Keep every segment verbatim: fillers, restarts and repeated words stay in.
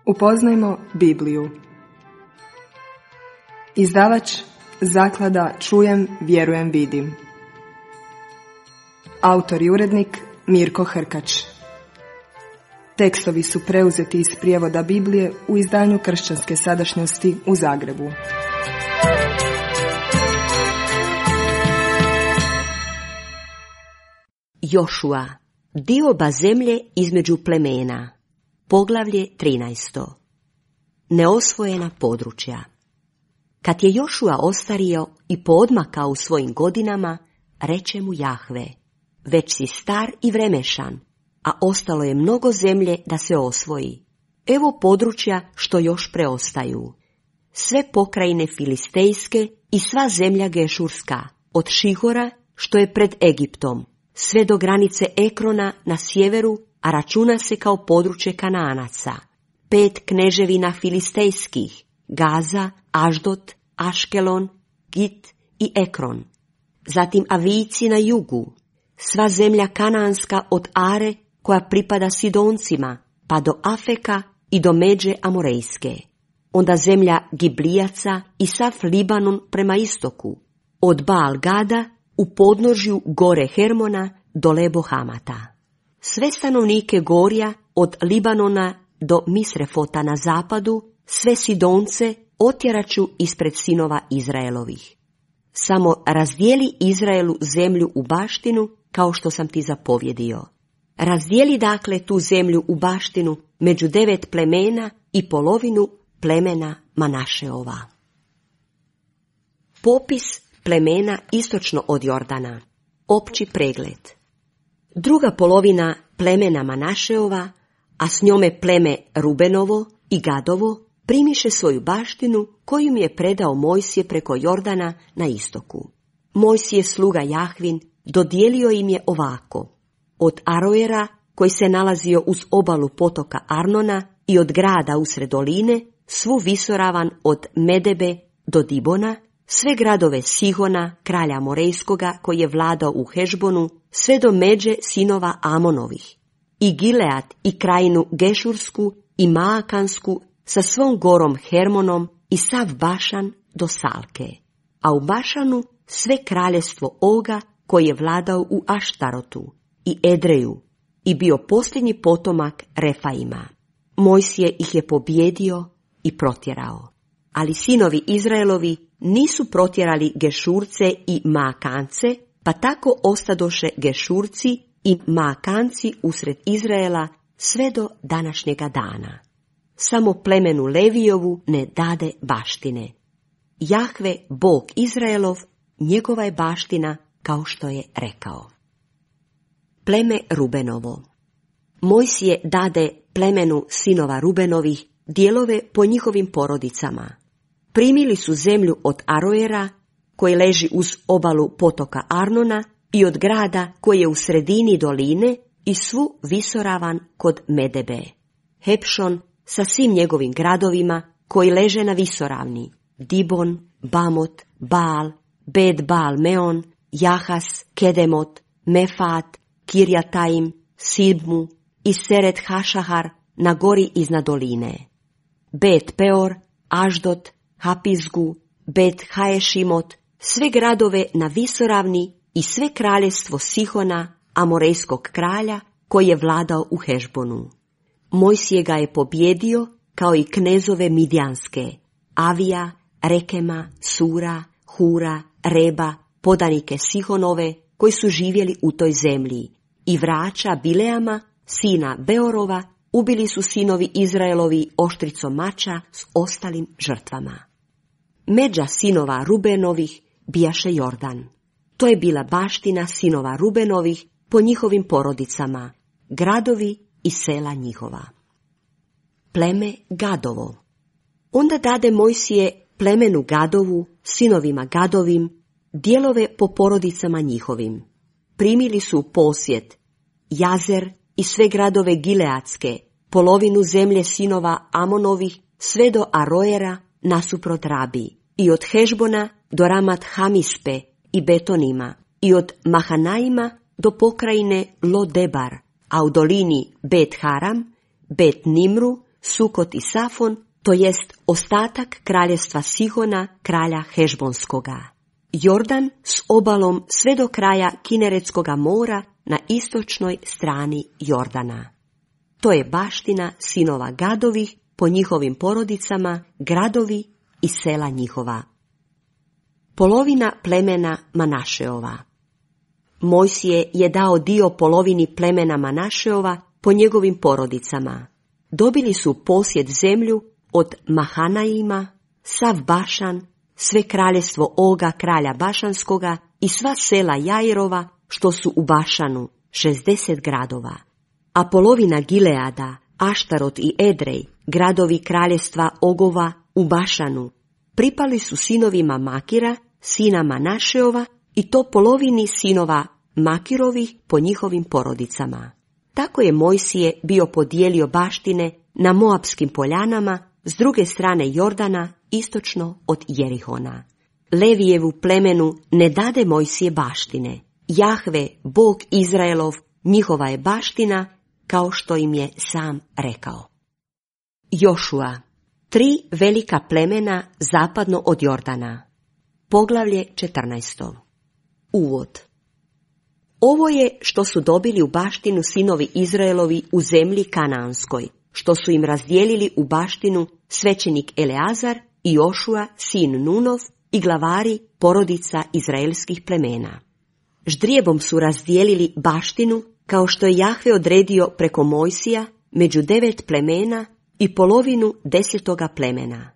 Upoznajmo Bibliju. Izdavač Zaklada Čujem, vjerujem, vidim. Autor i urednik Mirko Hrkač. Tekstovi su preuzeti iz prijevoda Biblije u izdanju Kršćanske sadašnjosti u Zagrebu. Jošua, dioba zemlje između plemena. Poglavlje trinaesto. Neosvojena područja. Kad je Jošua ostario i poodmakao u svojim godinama, reče mu Jahve: već si star i vremešan, a ostalo je mnogo zemlje da se osvoji. Evo područja što još preostaju. Sve pokrajine filistejske i sva zemlja gešurska, od Šihora što je pred Egiptom, sve do granice Ekrona na sjeveru, a računa se kao područje Kanaanaca. Pet kneževina filistejskih, Gaza, Aždot, Aškelon, Git i Ekron. Zatim Avijci na jugu, sva zemlja kanaanska od Are koja pripada Sidoncima, pa do Afeka i do međe Amorejske. Onda zemlja Giblijaca i sav Libanon prema istoku, od Baal Gada u podnožju gore Hermona do Lebo Hamata. Sve stanovnike gorja od Libanona do Misrefota na zapadu, sve Sidonce otjeraću ispred sinova Izraelovih. Samo razdijeli Izraelu zemlju u baštinu, kao što sam ti zapovjedio. Razdijeli dakle tu zemlju u baštinu među devet plemena i polovinu plemena Manašeova. Popis plemena istočno od Jordana. Opći pregled. Druga polovina plemena Manašeova, a s njome pleme Rubenovo i Gadovo, primiše svoju baštinu koju mi je predao Mojsije preko Jordana na istoku. Mojsije sluga Jahvin dodijelio im je ovako: od Aroera, koji se nalazio uz obalu potoka Arnona, i od grada usred doline, svu visoravan od Medebe do Dibona, sve gradove Sihona, kralja Morejskoga, koji je vladao u Hešbonu, sve do međe sinova Amonovih, i Gilead i krajinu Gešursku i Maakansku sa svom gorom Hermonom i sav Bašan do Salke, a u Bašanu sve kraljestvo Oga, koji je vladao u Aštarotu i Edreju i bio posljednji potomak Refaima. Mojsije ih je pobjedio i protjerao. Ali sinovi Izraelovi nisu protjerali Gešurce i Maakance, pa tako ostadoše Gešurci i Maakanci usred Izraela sve do današnjega dana. Samo plemenu Levijovu ne dade baštine. Jahve, Bog Izraelov, njegova je baština, kao što je rekao. Pleme Rubenovo. Mojsije dade plemenu sinova Rubenovih dijelove po njihovim porodicama. Primili su zemlju od Aroera, koji leži uz obalu potoka Arnona, i od grada koji je u sredini doline, i svu visoravan kod Medebe. Hepšon sa svim njegovim gradovima koji leže na visoravni, Dibon, Bamot, Baal, Bet Baal Meon, Jahas, Kedemot, Mefat, Kirjataim, Sibmu i Seret Hašahar na gori iznad doline. Bet Peor, Aždot, Hapizgu, Bet Haešimot, sve gradove na visoravni i sve kraljestvo Sihona, Amorejskog kralja, koji je vladao u Hešbonu. Mojsije ga je pobjedio, kao i knezove Midjanske, Avija, Rekema, Sura, Hura, Reba, podanike Sihonove, koji su živjeli u toj zemlji, i vraća Bileama, sina Beorova, ubili su sinovi Izraelovi oštricom mača s ostalim žrtvama. Međa sinova Rubenovih bijaše Jordan. To je bila baština sinova Rubenovih po njihovim porodicama, gradovi i sela njihova. Pleme Gadovo. Onda dade Mojsije plemenu Gadovu, sinovima Gadovim, dijelove po porodicama njihovim. Primili su u posjed Jazer i sve gradove Gileadske, polovinu zemlje sinova Amonovih, sve do Aroera nasuprot Rabi, i od Hešbona do Ramat Hamispe i Betonima, i od Mahanaima do pokrajine Lodebar, a u dolini Bet Haram, Bet Nimru, Sukot i Safon, to jest ostatak kraljestva Sihona, kralja Hešbonskoga. Jordan s obalom sve do kraja Kineretskoga mora na istočnoj strani Jordana. To je baština sinova Gadovih po njihovim porodicama, gradovi i sela njihova. Polovina plemena Manašeova. Mojsije je dao dio polovini plemena Manašeova po njegovim porodicama. Dobili su posjed zemlju od Mahanaima, sav Bašan, sve kraljestvo Oga kralja Bašanskoga i sva sela Jairova što su u Bašanu, šezdeset gradova. A polovina Gileada, Aštarot i Edrej, gradovi kraljestva Ogova u Bašanu, pripali su sinovima Makira, sina Manašeova, i to polovini sinova Makirovih po njihovim porodicama. Tako je Mojsije bio podijelio baštine na Moapskim poljanama s druge strane Jordana, istočno od Jerihona. Levijevu plemenu ne dade Mojsije baštine. Jahve, Bog Izraelov, njihova je baština, kao što im je sam rekao. Jošua. Tri velika plemena zapadno od Jordana. Poglavlje četrnaesto. Uvod. Ovo je što su dobili u baštinu sinovi Izraelovi u zemlji Kanaanskoj, što su im razdijelili u baštinu svećenik Eleazar i Jošua, sin Nunov, i glavari porodica izraelskih plemena. Ždrijebom su razdijelili baštinu, kao što je Jahve odredio preko Mojsija, među devet plemena i polovinu desetoga plemena.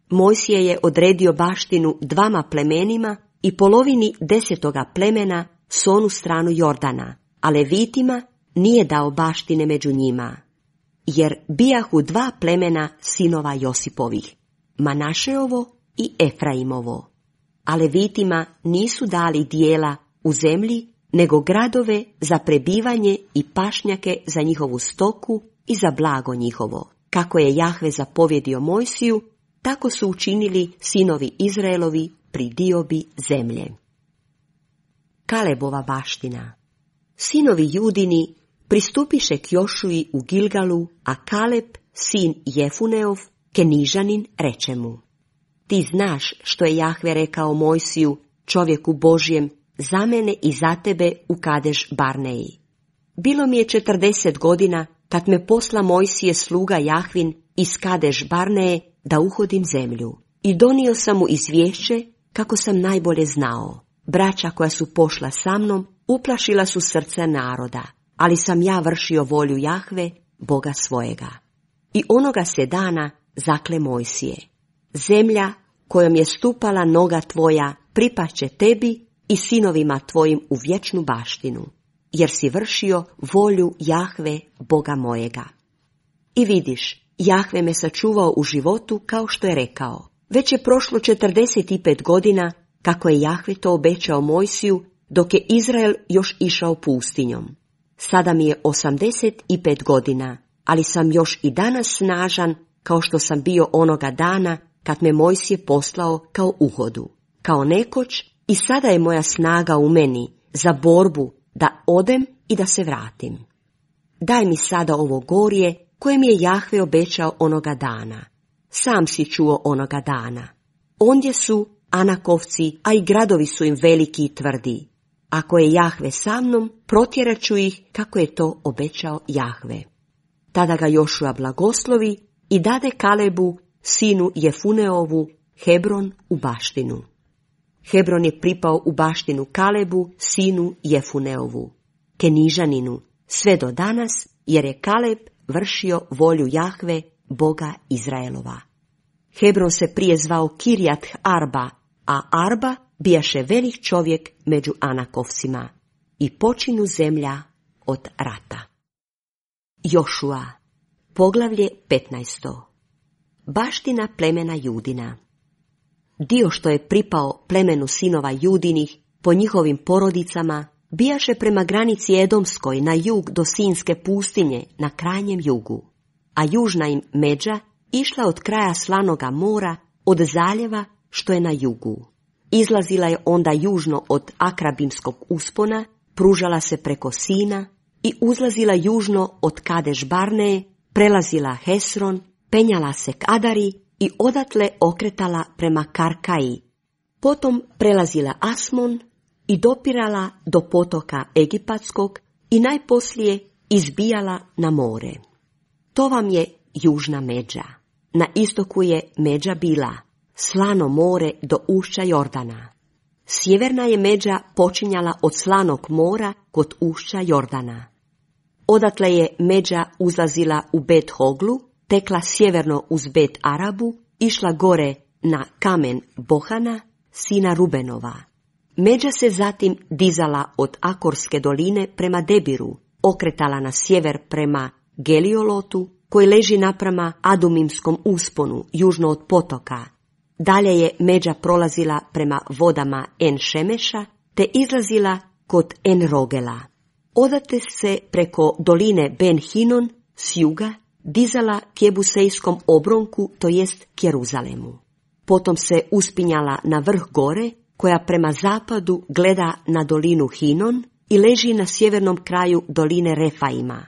Mojsije je odredio baštinu dvama plemenima i polovini desetoga plemena s onu stranu Jordana, a Levitima nije dao baštine među njima, jer bijahu dva plemena sinova Josipovih, Manašeovo i Efraimovo, a Levitima nisu dali dijela u zemlji, nego gradove za prebivanje i pašnjake za njihovu stoku i za blago njihovo. Kako je Jahve zapovjedio Mojsiju, tako su učinili sinovi Izraelovi pri diobi zemlje. Kalebova baština. Sinovi Judini pristupiše k Jošuji u Gilgalu, a Kaleb, sin Jefuneov, Kenižanin, reče mu: Ti znaš što je Jahve rekao Mojsiju, čovjeku Božjem, za mene i za tebe u Kadeš Barneji. Bilo mi je četrdeset godina kad me posla Mojsije sluga Jahvin iz Kadeš Barneje da uhodim zemlju. I donio sam mu izvješće kako sam najbolje znao. Braća koja su pošla sa mnom uplašila su srce naroda, ali sam ja vršio volju Jahve, Boga svojega. I onoga se dana zakle Mojsije: Zemlja kojom je stupala noga tvoja pripašće tebi i sinovima tvojim u vječnu baštinu, jer si vršio volju Jahve, Boga mojega. I vidiš, Jahve me sačuvao u životu kao što je rekao. Već je prošlo četrdeset pet godina kako je Jahve to obećao Mojsiju, dok je Izrael još išao pustinjom. Sada mi je osamdeset pet godina, ali sam još i danas snažan kao što sam bio onoga dana kad me Mojsije poslao kao uhodu. Kao nekoć i sada je moja snaga u meni za borbu da odem i da se vratim. Daj mi sada ovo gorje koje mi je Jahve obećao onoga dana. Sam si čuo onoga dana. Ondje su Anakovci, a i gradovi su im veliki i tvrdi. Ako je Jahve sa mnom, protjerat ću ih kako je to obećao Jahve. Tada ga Jošua blagoslovi i dade Kalebu, sinu Jefuneovu, Hebron u baštinu. Hebron je pripao u baštinu Kalebu, sinu Jefuneovu, Kenižaninu, sve do danas, jer je Kaleb vršio volju Jahve, Boga Izraelova. Hebron se prije zvao Kirjat Arba, a Arba bijaše velik čovjek među Anakovcima, i počinu zemlja od rata. Jošua. Poglavlje petnaesto. Baština plemena Judina. Dio što je pripao plemenu sinova Judinih po njihovim porodicama bijaše prema granici Edomskoj na jug do Sinske pustinje na krajnjem jugu, a južna im međa išla od kraja Slanoga mora, od zaljeva što je na jugu. Izlazila je onda južno od Akrabimskog uspona, pružala se preko Sina i uzlazila južno od Kadeš Barneje, prelazila Hesron, penjala se k Adari i odatle okretala prema Karkaji. Potom prelazila Asmon i dopirala do potoka Egipatskog i najposlije izbijala na more. To vam je južna međa. Na istoku je međa bila slano more do ušća Jordana. Sjeverna je međa počinjala od slanog mora kod ušća Jordana. Odatle je međa uzlazila u Bet Hoglu, tekla sjeverno uz Bet Arabu, išla gore na kamen Bohana, sina Rubenova. Međa se zatim dizala od Akorske doline prema Debiru, okretala na sjever prema Geliolotu, koji leži naprama Adumimskom usponu, južno od potoka. Dalje je međa prolazila prema vodama En Šemeša, te izlazila kod En Rogela. Odatle se preko doline Ben Hinon s juga dizala k Jebusejskom obronku, to jest k Jeruzalemu. Potom se uspinjala na vrh gore, koja prema zapadu gleda na dolinu Hinon i leži na sjevernom kraju doline Refaima.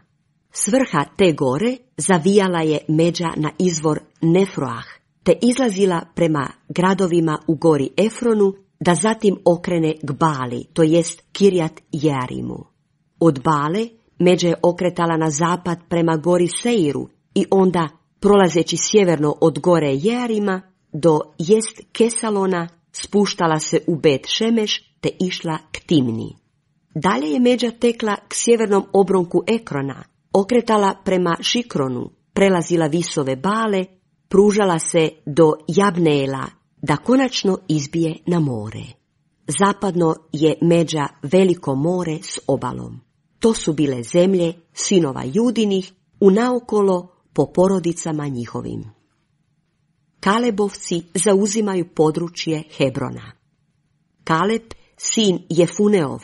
S vrha te gore zavijala je međa na izvor Nefroah, te izlazila prema gradovima u gori Efronu, da zatim okrene k Bali, to jest Kirjat Jearimu. Od Bale međa je okretala na zapad prema gori Seiru i onda, prolazeći sjeverno od gore Jearima do jest Kesalona, spuštala se u Bet Šemeš te išla k Timni. Dalje je međa tekla k sjevernom obronku Ekrona, okretala prema Šikronu, prelazila visove Bale, pružala se do Jabneela, da konačno izbije na more. Zapadno je međa veliko more s obalom. To su bile zemlje sinova Judinih, unaokolo po porodicama njihovim. Kalebovci zauzimaju područje Hebrona. Kaleb, sin Jefuneov,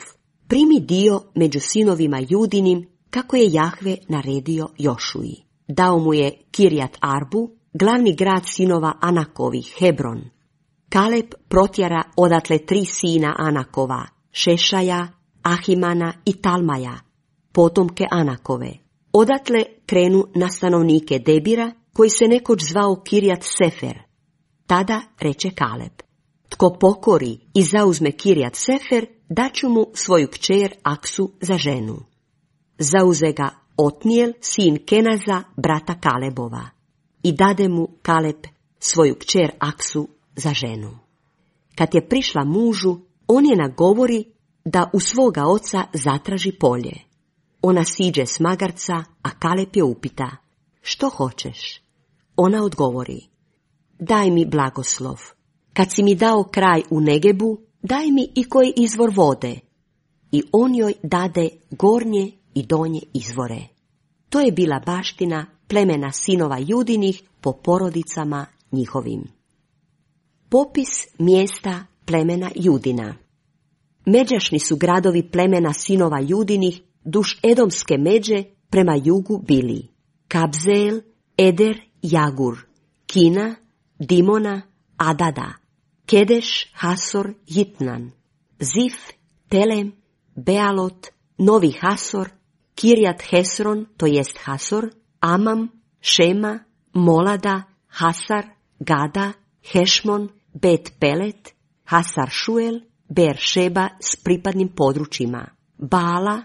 primi dio među sinovima Judinim, kako je Jahve naredio Jošuji. Dao mu je Kirjat Arbu, glavni grad sinova Anakovih, Hebron. Kaleb protjera odatle tri sina Anakova, Šešaja, Ahimana i Talmaja, potomke Anakove. Odatle krenu na stanovnike Debira, koji se nekoć zvao Kirjat Sefer. Tada reče Kaleb: tko pokori i zauzme Kirjat Sefer, daću mu svoju kćer Aksu za ženu. Zauze ga Otnijel, sin Kenaza, brata Kalebova, i dade mu Kaleb svoju kćer Aksu za ženu. Kad je prišla mužu, on je nagovori da u svoga oca zatraži polje. Ona siđe s magarca, a Kaleb je upita: što hoćeš? Ona odgovori: daj mi blagoslov. Kad si mi dao kraj u Negebu, daj mi i koji izvor vode. I on joj dade gornje i donje izvore. To je bila baština plemena sinova Judinih po porodicama njihovim. Popis mjesta plemena Judina. Međašni su gradovi plemena sinova Judinih duž Edomske međe prema jugu bili: Kabzeel, Eder, Jagur, Kina, Dimona, Adada, Kedeš, Hasor, Jitnan, Zif, Telem, Bealot, Novi Hasor, Kirjat Hesron, to jest Hasor, Amam, Šema, Molada, Hasar, Gada, Hešmon, Bet Pelet, Hasar Šuel, Ber Šeba s pripadnim područjima, Bala,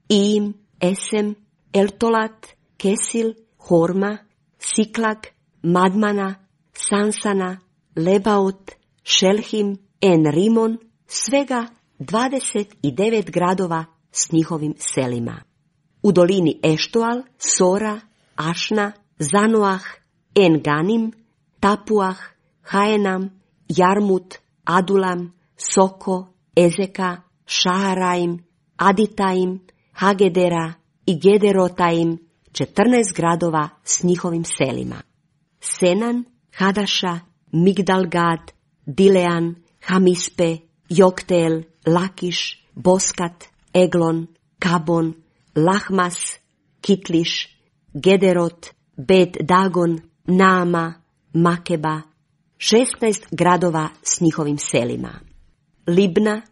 Im, Esem, Eltolat, Kesil, Horma, Siklag, Madmana, Sansana, Lebaot, Šelhim, En Rimon, svega dvadeset devet gradova s njihovim selima. U dolini Eštoal, Sora, Ašna, Zanoah, En Ganim, Tapuah, Haenam, Jarmut, Adulam, Soko, Ezeka, Šaharaim, Aditaim, Hagedera i Gederotaim, četrnaest gradova s njihovim selima. Senan, Hadaša, Migdalgad, Dilean, Hamispe, Joktel, Lakiš, Boskat, Eglon, Kabon, Lahmas, Kitliš, Gederot, Bet Dagon, Naama, Makeba, šesnaest gradova s njihovim selima. Libna,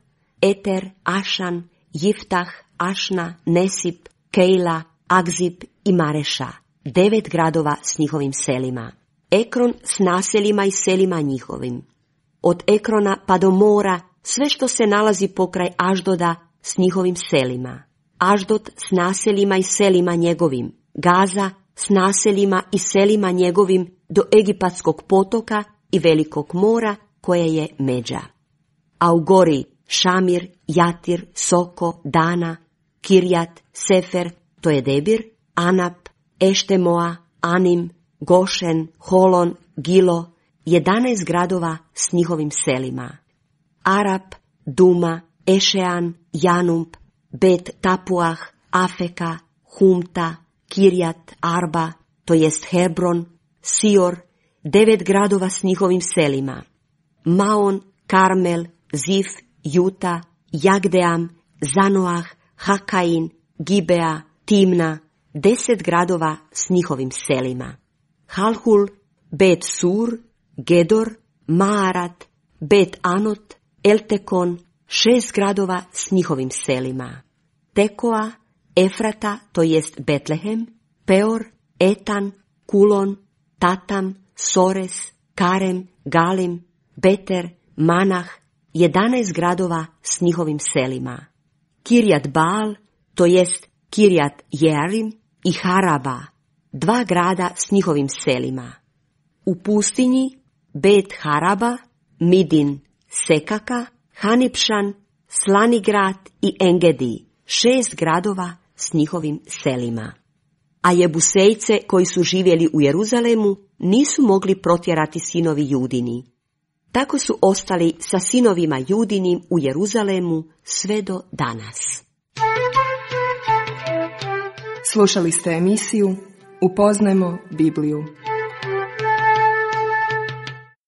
Eter, Ašan, Jiftah, Ašna, Nesip, Kejla, Agzib i Mareša, devet gradova s njihovim selima. Ekron s naseljima i selima njihovim. Od Ekrona pa do mora sve što se nalazi pokraj Aždoda s njihovim selima. Aždod s naseljima i selima njegovim. Gaza s naseljima i selima njegovim do Egipatskog potoka i velikog mora koje je međa. A u gori Šamir, Jatir, Soko, Dana, Kirjat, Sefer, to je Debir, Anap, Eštemoa, Anim, Gošen, Holon, Gilo, jedanaest gradova s njihovim selima. Arap, Duma, Ešean, Janump, Bet Tapuah, Afeka, Humta, Kirjat, Arba, to jest Hebron, Sior, devet gradova s njihovim selima. Maon, Karmel, Zif, Juta, Jagdeam, Zanoah, Hakain, Gibea, Timna, deset gradova s njihovim selima. Halhul, Bet Sur, Gedor, Maarat, Bet Anot, Eltekon, šest gradova s njihovim selima. Tekoa, Efrata, to jest Betlehem, Peor, Etan, Kulon, Tatam, Sores, Karem, Galim, Beter, Manah, jedanaest gradova s njihovim selima. Kirjat Baal, to jest Kirjat Jearim i Haraba, dva grada s njihovim selima. U pustinji Bet Haraba, Midin, Sekaka, Hanipšan, Slanigrad i Engedi, šest gradova s njihovim selima. A Jebusejce koji su živjeli u Jeruzalemu nisu mogli protjerati sinovi Judini. Tako su ostali sa sinovima Judinim u Jeruzalemu sve do danas. Slušali ste emisiju Upoznajmo Bibliju.